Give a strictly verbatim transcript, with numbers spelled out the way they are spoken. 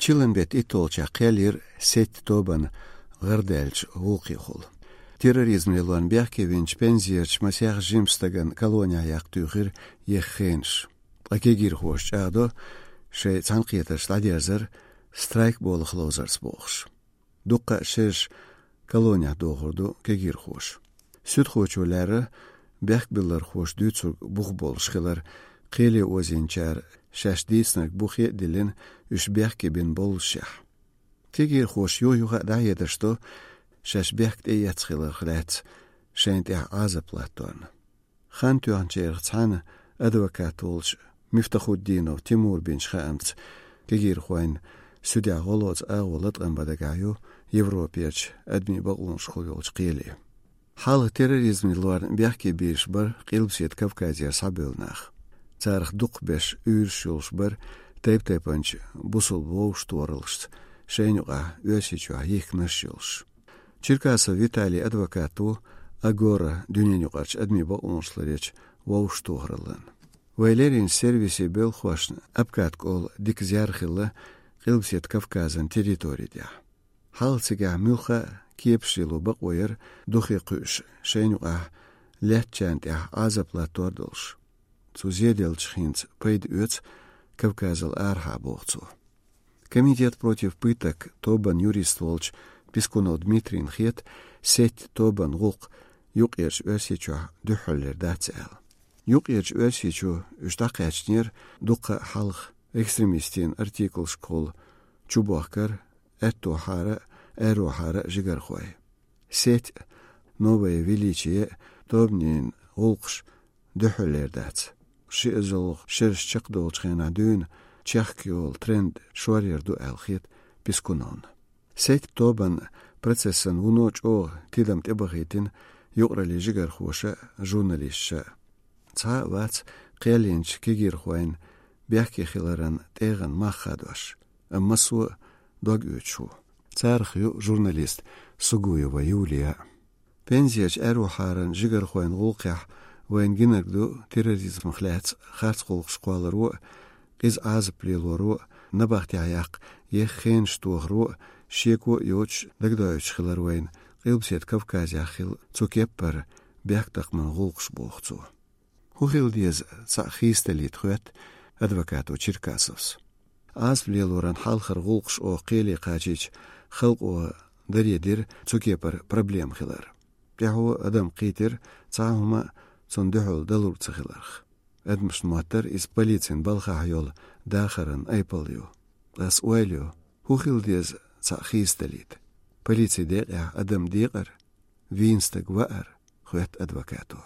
Чиланбет итолча қелир сет тобан ғырдэлч ғуқи хул. Терроризм лилуан бяхке винч пензиерч масях жимстаган колония яқтуғыр еххенш. Акегир хош чағдо ше цанқиеташ ладерзер страйк болох лозарс боғш. Дұққа шеш колония доғырду кегир хош. Сүт хочулары бяхк билар хош дүйцуг бұқ болшқылар қели озинчар шаш дейснак бұқе дилин үш бяхке бен болшах. Кегир хош йойуға дайедашто шаш бяхк дейяцқылар хләц шэнт я азаплатуан. Хан туанчер цана адвокат олш Мифтахуддинов Тимур бен Шхамц кегир хуайн судя голоц аголат амбадагаю Европеч адми багунш хуйолч қели. Хал терроризм луар бяхке биш бар қилбсет Кавказия сабылнах. Царх дуқ беш үйршулш бар тайп-тайпанч бусул воуш туарылш шейнуға өсечуа ехнашылш. Черкасов Виталий адвокату агора дюненюғач адми багуншлареч воуш туарылын. Вайлерин сервисе был хвашн апкатк ол дикзярхилла қилбсет Кавказан территория. Халцыга мюха кепшилу бақойыр духи қүш шейнуға ләтчант я азаплатордылш. Цузеделч хинц пейд өц Кавказал арха боғцу. Комитет против пыток тобан юрист волч Пискунов Дмитрий хет сеть тобан ғуқ юқ ерш өсечу дұхоллер дацел. Юқ ерш өсечу үштақачнер дұққа халық экстремистин артикл школ чубахкар эту хара эру хара жигархой. Сеть новое величие тобнин ғулқш дұхоллер дац. Шиызыл шерш чақдолчхена дүйн чахкиол тренд шуарерду әлхет Пискунон. Сеть тобан процессан уноч о тидам тебахитин юқрали жигархоша журналистша. Ца вац қиялинч кегир хуайн бяхки хиларан теган махадваш. Аммасу дог үчу. Цархю журналист Сугуева Юлия. Пензияч әру харан жигар хуайн ғулқях вайн гинагду терроризм хләц харц ғулқ шқуалару қиз азып лилору набахти аяқ еххен штуғру шеку йоч дагдайч хилар вайн қилбсет Кавказия хил цукеппар бяхтақман ғулқш боғцу. Хухилдиез цахистелит хует адвокату Черкасовс. Аз влелоран халхар ғулқш о қели қачич хылқ о даредир цукеппар проблем хилар. Тяху адам қитер цахума цондухул далур цахиларх. Адмш матер из полицин балхахйол дахаран айпалью. Ас уайлю хухилдиез цахистелит. Полиций дея адам дигар винстаг ваар хует адвокату.